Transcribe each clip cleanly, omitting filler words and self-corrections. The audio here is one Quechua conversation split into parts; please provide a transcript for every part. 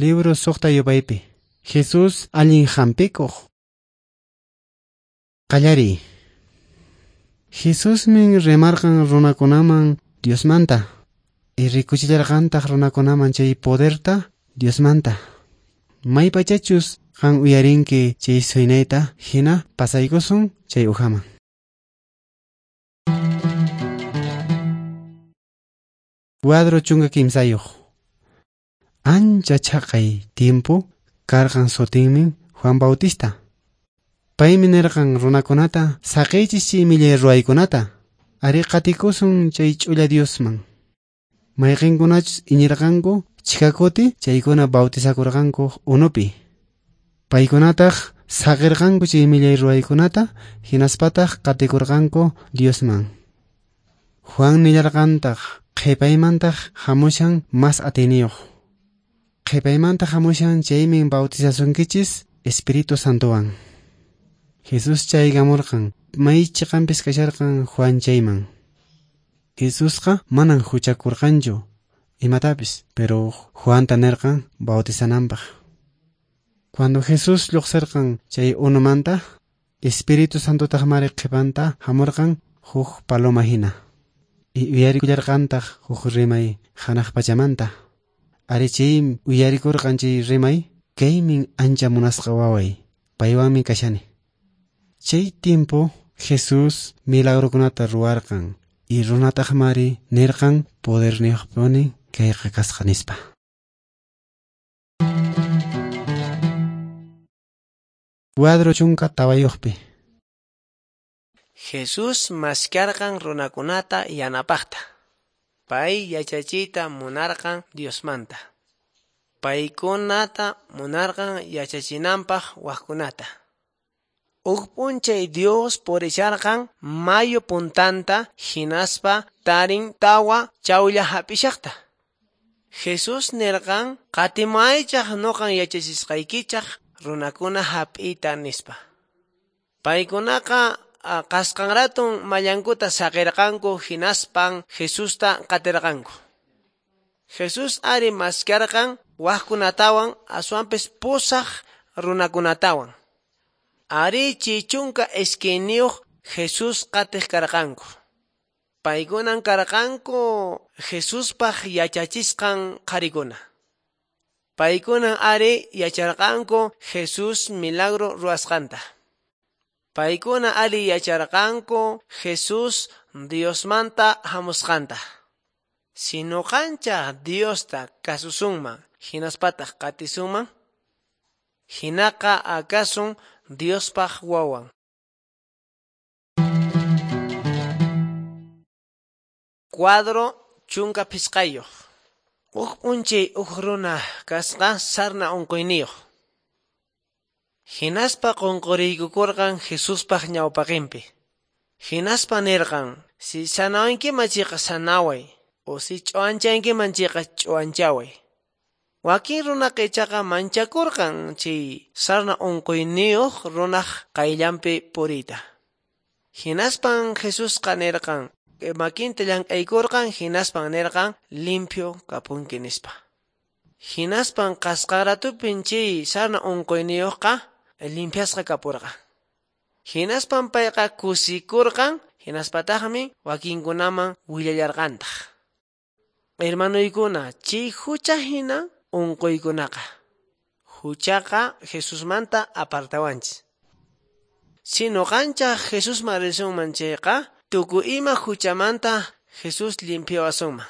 Libro suqta yupaypi. Jesús allin hampikuq. Qallariy. Jesusmin rimarqan runakunaman Diosmanta. Y rikuchillarqantaq runakunaman chay poderta Diosmanta. Maypachachus qan uyarinki chay suynayta hina pasaykusun chay ujaman. Cuadro 13. Ancha chaqay tiempo karqan sutinmin Juan Bautista. Paymi nirqan runakunata saqiychis chay millay ruwaykunata. Ari qatikusun chay ch'ulla Diosman. Mayqinkunachus iñirqanku chhikakuti chaykuna bautizakurqanku unupi. Paykunataq saqirqanku chay millay ruwaykunata hinaspataq qatikurqanku Diosman. Juan nillarqantaq qhipaymantaq hamushan mas atiyniyuq. Qhipaymanta hamushan chaymin bautizasunkichis Espíritu Santowan. Jesús chaykamurqan may chiqanpis kasharqan Juan chayman. Jesusqa manan huchakurqanchu imatapis, pero Juanta nirqan bautizananpaq. Cuando Jesús lluqsirqan chay unumanta, Espíritu Santotaq mari qhipanta hamurqan huk paloma hina. Y uyarikullarqantaq huk rimay hanaq pachamanta. Ari chay uyarikurqan chay rimay, kaymin ancha munasqa waway, paywanmi kashani. Chay tiempo Jesús milagrokunata ruwarqan y runataq mari nirqan poderniyuqpuni kayqa kasqa nispa. Cuadro 14. Jesús maskarqan runakunata yanapaqta. Pay yachachiyta munarqan Diosmanta. Paykunata munarqan yachachinanpaq waqkunata. Huk p'unchay Dios purisharqan mayu puntanta hinaspa tarin tawa chawlla hap'ishaqta. Jesús nirqan qatimaychaq nuqan yachachisqaykichaq runakuna hap'iyta nispa. Paykunaqa qasqanratun mallankuta saqirqanku hinaspan Jesusta qatirqanku. Jesús ari maskarqan waqkunatawan aswanpis pusaq runakunatawan. Ari 12 Jesús qatiq karqanku. Paykunan karqanku Jesuspaq yachachisqan qharikuna. Paykunan ari yacharqanku Jesús milagro ruwasqanta. Paykuna ari yacharqanku Jesús Diosmanta hamusqanta. Si nuqanchaq Diosta kasusunman hinaspataq qatisunman, hinaqa akasun Diospaq wawan. Cuadro 15. Huk p'unchay huk runa kasqa sarna unquyniyuq. Hinaspa qunquriykukurqan Jesuspaq ñawpaqinpi. Hinaspa nirqan, si sanawankiman chayqa sanaway, o si ch'uwanchankiman chayqa ch'uwanchaway. Wakin runaqa ichaqa manchakurqan chay sarna unquyniyuq runaq qayllanpi puriyta. Hinaspan Jesusqa nirqan, makinta llank'aykurqan hinaspan nirqan limpio kapunki nispa. Hinaspan qasqaratupin chay sarna unquyniyuqqa limpiasqa kapurqan. Hinaspan payqa kusikurqan hinaspataqmi wakinkunaman willallarqantaq. Hermanuykuna, chay hucha hina unquykunaqa. Huchaqa Jesusmanta apartawanchis. Si nuqanchaq Jesusman risunman chayqa, tukuy ima huchamanta Jesús limpiawasunman.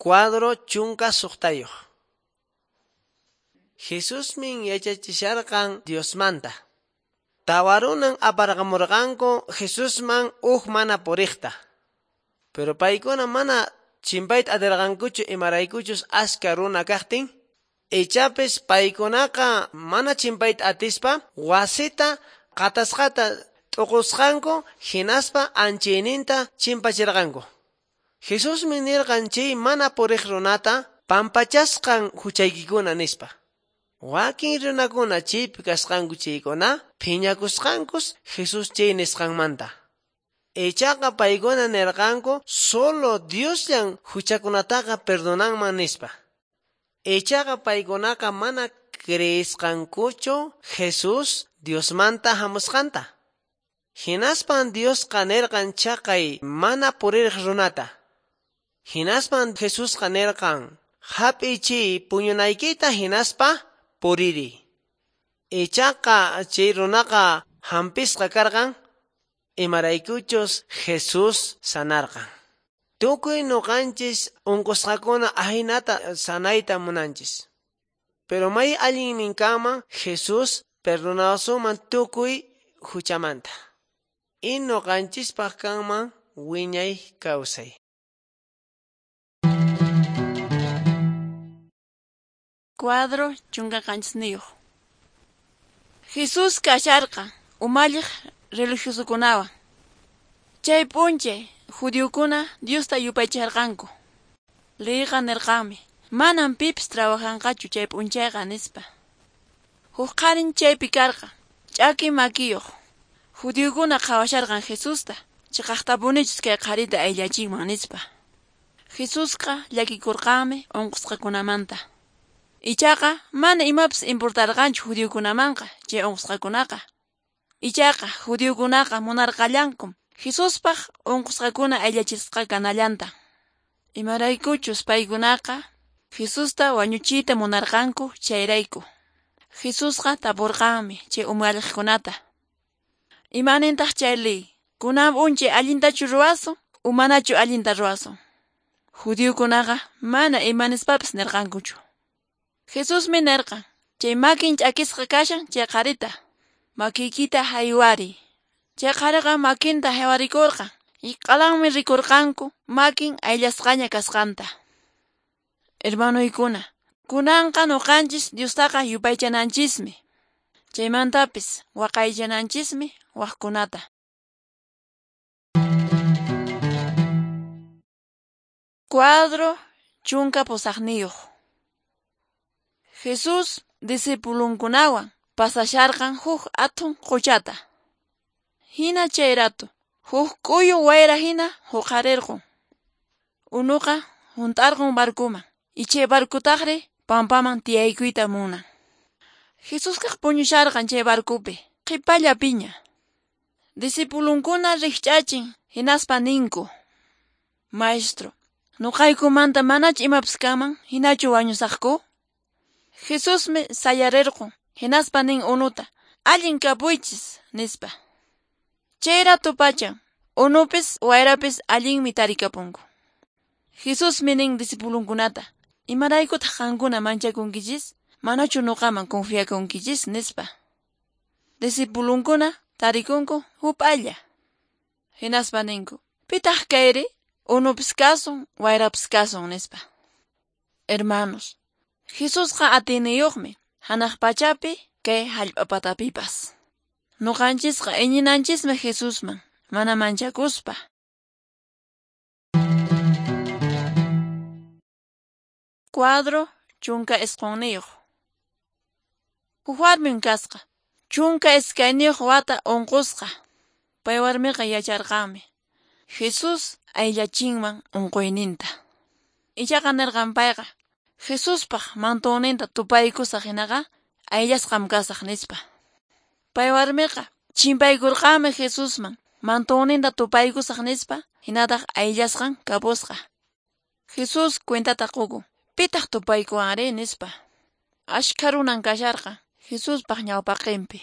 Cuadro 16. Jesusmin yachachisharqan Diosmanta. Tawarunan aparqamurqanku Jesusman uj mana puriqta. Pero paykuna mana chimpayta atirqankuchu imaraykuchus aska runa kaqtin. Ichapis paykunaqa mana chimpayta atispa wasita qatasqata t'uqusqanku hinaspa anchayninta chimpachirqanku. Jesusmi nirqan chay mana puriq runata pampachasqan huchaykikuna nispa. Wakin runakuna chaypi kasqanku chaykuna phiñakusqankus Jesús chay nisqanmanta. Ichaqa paykuna nirqanku solo Diosllan huchakunataqa perdonanman nispa. Ichaqa paykunaqa mana creesqankuchu Jesús Diosmanta hamusqanta. Hinaspan Diosqa nirqan chaqay mana puriq runata. Hinaspan Jesusqa nirqan hap'iy chay puñunaykita hinaspa puriri. Ichaqa chay runaqa hampisqa karqan imaraykuchus Jesús sanarqan. Tukuy nuqanchis unqusqakuna ahinata sanayta munanchis. Pero may allinmin kanman Jesús perdonawasunman tukuy huchamanta. Y nuqanchispaq kanman wiñay kawsay. Cuadro 17. Jesús kasharqa umalliq religiosokunawan. Chay p'unchay judiokuna Diosta yupaycharqanku. Leyqa nirqanmi, manam pipis trabajanqachu chay p'unchayqa nispa. Huk qharin chaypi karqa, ch'aki makiyuq. Judiokuna qhawasharqan Jesusta, chiqaqtapunichus kay qharita ayllachinman nispa. Jesusqa llakikurqanmi unqusqakunamanta. Ichaqa mana imapis importarqanchu judiokunamanqa chay unqusqakunaqa. Ichaqa judiokunaqa munarqallankum Jesuspaq unqusqakuna ayllachisqa kanallanta. Imaraykuchus paykunaqa Jesusta wañuchiyta munarqanku chayrayku. Jesusqa tapurqanmi chay umalliqkunata. Imanintaq chay ley? Kunan p'unchay allintachu ruwasun o manachu allinta ruwasun? Judiokunaqa mana imanispapis nirqankuchu. Jesusmi nirqan, chay makin ch'akisqa kashan chay qharita. Makiykita haywariy. Chay qhariqa makinta haywarikurqan y q'alanmi rikurqanku makin ayllasqaña kasqanta. Hermanoykuna, kunanqa nuqanchis Diostaqa yupaychananchismi. Chaymantapis waqaychananchismi waqkunata. Cuadro 18. Jesús discipulunkunawan pasasharqan huk athun quchata. Hina chay rato, huk k'uyu wayra hina huqarirqun. Unuqa hunt'arqun barkuman, y chay barkutaqri pampaman tiyaykuyta munan. Jesusqa puñusharqan chay barkupi, qhipalla piña. Discipulunkuna rikch'achin hinaspa ninku: Maestro, nuqaykumanta manachu imapis kanman, hinachu wañusaqku? Jesusmi sayarirqun, hinaspa nin unuta, allin kapuychis, nispa. Chay rato pacha, unupis wayrapis allinmi tarikapunku. Jesusmi nin discipulunkunata, imaraykutaq qankuna manchakunkichis, manachu nuqaman confiakunkichis, nispa. Discipulunkuna tarikunku hup'alla. Hinaspa ninku, pitaq kayri, unupis kasun, wayrapis kasun, nispa. Hermanos, Jesusqa atiyniyuqmi hanaq pachapi kay hallp'a patapipas. Nuqanchisqa iñinanchismi Jesusman, mana manchakuspa. Cuadro 19. Huk warmim kasqa, 12 wata unqusqa. Pay warmiqa yacharqanmi Jesús ayllachinman unquyninta. Ichaqa nirqan payqa, Jesuspaq mantonninta tupaykusaq hinaqa ayllasqam kasaq nispa. Pay warmiqa chimpaykurqanmi Jesusman mantonninta tupaykusaq nispa, hinataq ayllasqan kapusqa. Jesús cuentata qukun, pitaq tupaykuwanri nispa. Ashkha runan kasharqa Jesuspaq ñawpaqinpi.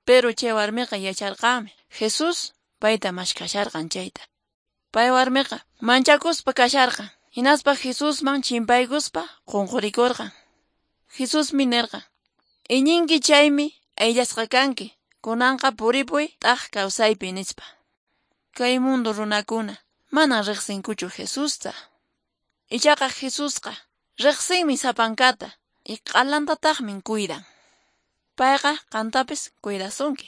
Pero chay warmiqa yacharqanmi Jesús payta mashkasharqan chayta. Pay warmiqa manchakuspa kasharqan. Hinaspa Jesusman chimpaykuspa qunqurikurqan. Jesusmi nirqan: "Iñinki chaymi ayllasqa kanki, kunanqa puripuy t'aq kawsaypi" nispa. Kay mundo runakuna manan riqsinkuchu Jesusta. Ichaqa Jesusqa riqsinmi sapankata y q'alantataqmi cuidan. Payqa qantapis cuidasunki.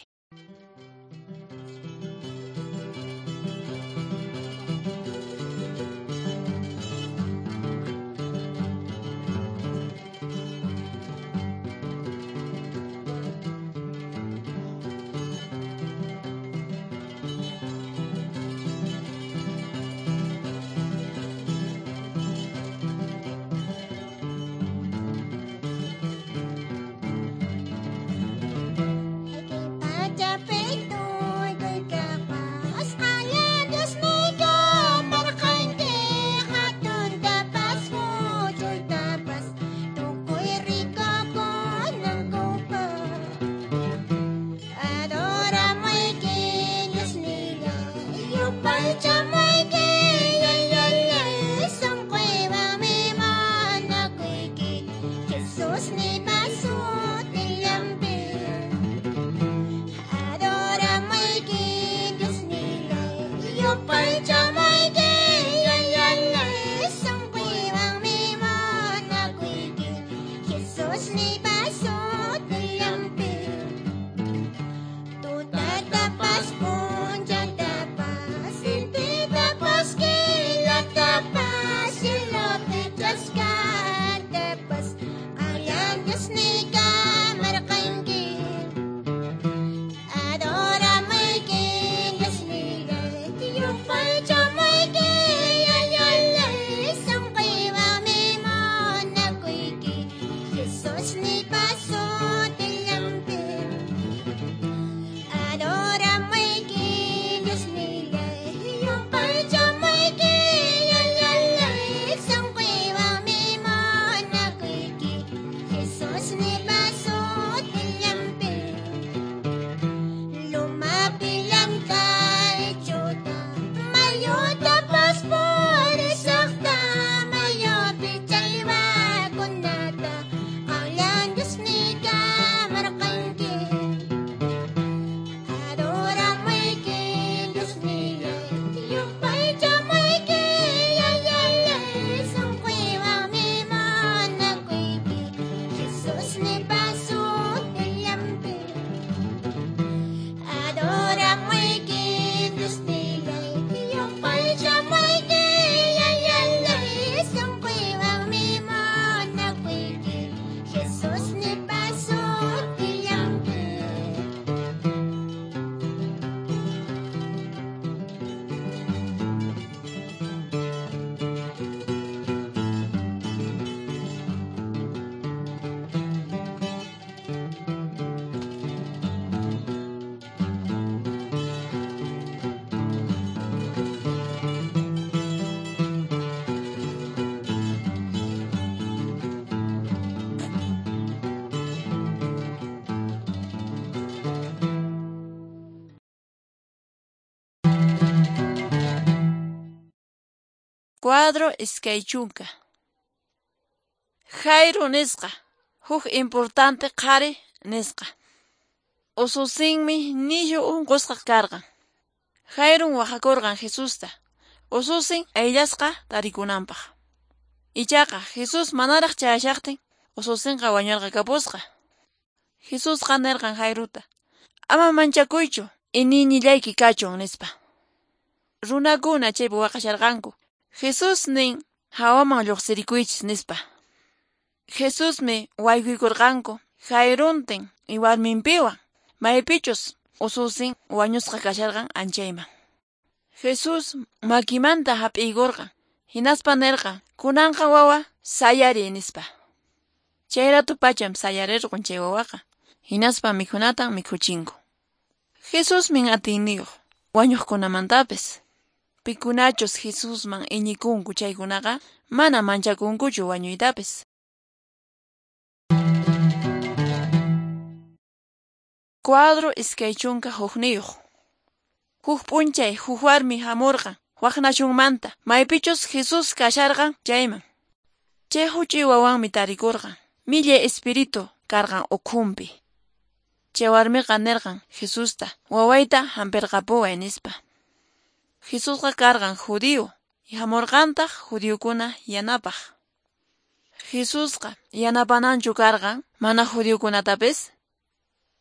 Cuadro iskay chunka. Jairo nisqa, huk importante qhari nisqa. Ususinmi nishu unqusqa karqan. Jairon waqakurqan Jesusta, ususin ayllasqa tarikunanpaq. Ichaqa Jesús manaraq chayashaqtin ususinqa wañurqakapusqa. Jesusqa nirqan Jairuta: "Ama manchakuychu, iñiynillayki kachun" nispa. Runakuna chaypi waqasharqanku. Jesús nin hawaman lluqsirikuychis nispa. Jesusmi waykuykurqanku Jairuntin y warminpiwan, maypichus ususin wañusqa kasharqan anchayman. Jesús makimanta hap'iykurqan, hinaspa nirqan: "Kunanqa wawa sayariy" nispa. Chayratu pacham sayarirqun chay wawaqa, hinaspa mikhunatan mikhuchinku. Jesusmin atiyniyuq wañuqkunamantapis. Pikunachus Jesusman iñikunku chaykunaqa mana manchakunkuchu wañuytapis. Cuadro 21. Huk p'unchay huk warmi hamurqan wak nasyunmanta, maypichus Jesús kasharqan chayman. Chay huch'uy wawanmi tarikurqan, millay espíritu karqan ukhunpi. Chay warmiqa nirqan Jesusta, wawayta hampirqapuway nispa. Jesusqa karqan judío, hamurqantaq judiokuna yanapaq. Jesusqa yanapananchu karqan mana judiokunatapis?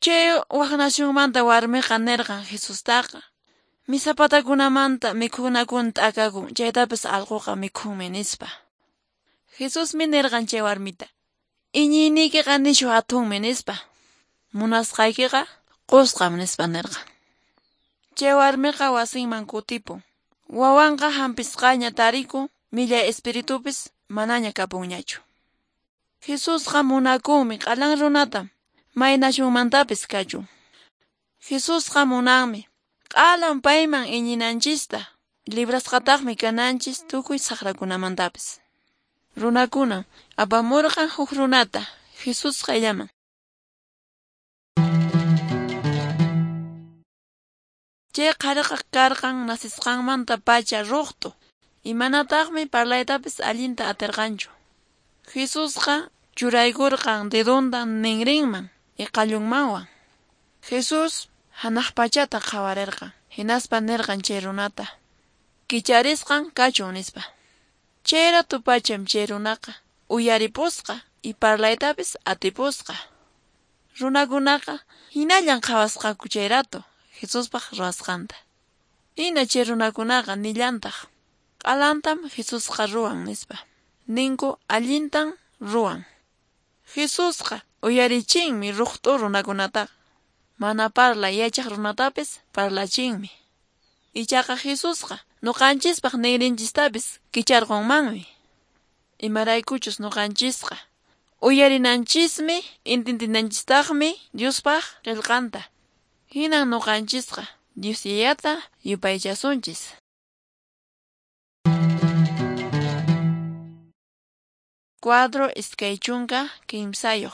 Chay wak nasyunmanta warmiqa nirqan Jesustaqa, misapatakunamanta mikhunakuna t'akakun, chaytapis allquqa mikhunmi nispa. Jesusmi nirqan chay warmita, iñiyniykiqa nishu hatunmi nispa. Munasqaykiqa qusqam nispa nirqan. Chay warmiqa wasinman kutipun. Wawanqa hampisqaña tarikun, millay espiritupis manaña kapunñachu. Jesusqa munakunmi q'alan runata, may nasyunmantapis kachun. Jesusqa munanmi q'alan payman iñinanchista, librasqataqmi kananchis tukuy saqrakunamantapis. Runakuna apamurqan huk runata Jesús qayllaman. Chay qhariqa karqan nasisqanmanta pacha ruqtu, imanataqmi parlaytapis allinta atirqanchu. Jesusqa churaykurqan dedonta ninrinman y qallunmanwan. Jesús hanaq pachata qhawarirqan, hinaspa nirqan chay runata, kicharisqan kachun nispa. Chay ratu pacham chay runaqa uyaripusqa y parlaytapis atipusqa. Runakunaqa hinallan qhawasqaku chay rato Jesuspaq ruwasqanta. Hina chay runakunaqa nillantaq, q'alantam Jesusqa ruwan nispa. Ninku allintan ruwan. Jesusqa uyarichinmi ruqt'u runakunataqa. Mana parlay yachaq runatapis parlachinmi. Ichaqa Jesusqa nuqanchispaq ninrinchistapis kicharqunmanmi. Imaraykuchus nuqanchisqa uyarinanchismi intindinanchistaqmi Diospaq qillqanta. Hinan nuqanchisqa Dios Yayata yupaychasunchis. Cuadro 23.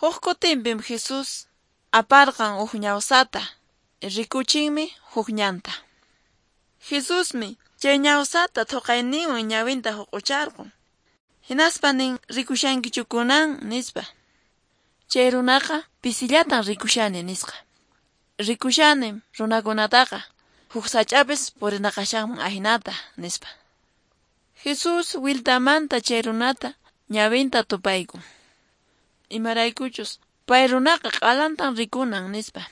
Huk kutinpim Jesús aparqan huk ñawsata, rikuchinmi huk ñanta. Jesusmi chay ñawsata thuqayninwan ñawinta huq'ucharqun. Hinaspa nin rikushankichu kunan nispa. Chay runaqa pisillatan rikushani nisqa. Rikushanim runakunataqa huk sach'apis purinaqashanman ahinata nispa. Jesús wiltamanta chay runata ñawinta tupaykun. Imaraykuchus pay runaqa q'alantan rikunan nispa.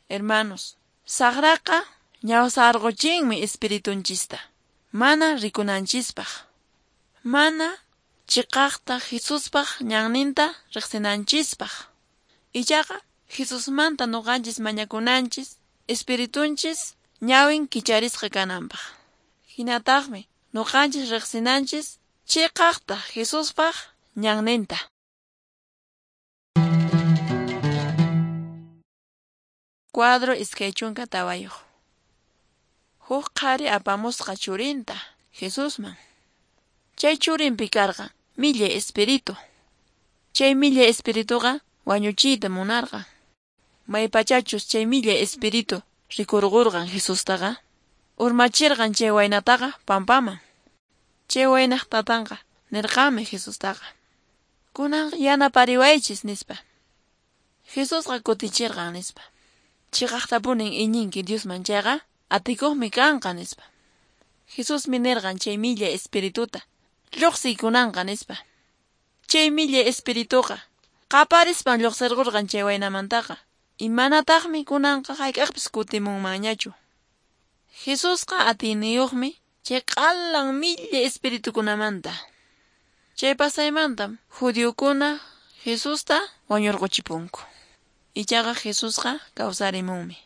Hermanos, saqraqa ñawsarquchinmi espiritunchista, mana rikunanchispaq. Mana chiqaqta Jesuspaq ñanninta riqsinanchispaq. Ichaqa Jesusmanta nuqanchis mañakunanchis, espiritunchis ñawin kicharisqa kananpaq. Hinataqmi nuqanchis riqsinanchis chiqaqta Jesuspaq ñanninta. Cuadro 24. Huk qhari apamusqa churinta Jesusman. Chay churinpi karqan millay espíritu. Chay millay espirituqa wañuchiyta munarqan. Maypachachus chay millay espíritu rikurqurqan Jesustaqa, urmachirqan chay waynataqa pampaman. Chay waynaq tatanqa nirqanmi Jesustaqa, kunan yanapariwaychis nispa. Jesusqa kutichirqan nispa, chiqaqtapunin iñinki Diosman chayqa atikuqmi kanqa nispa. Jesusmi nirqan chay millay espirituta, lluqsiy kunanqa nispa. Chay millay espirituqa qaparispan lluqsirqurqan chay waynamantaqa, imanataqmi kunanqa hayk'aqpis kutimunmanñachu. Jesusqa atiyniyuqmi chay q'alan millay espiritukunamanta. Chay pasaymantam judiokuna Jesusta wañurquchipunku. Ichaqa Jesusqa kawsarimunmi.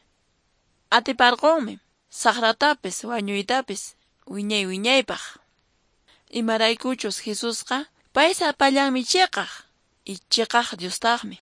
Atiparqunmi saqratapis wañuytapis wiñay wiñaypaq. Imaraykuchus Jesusqa pay sapallanmi chiqaq y chiqaq Diostaqmi.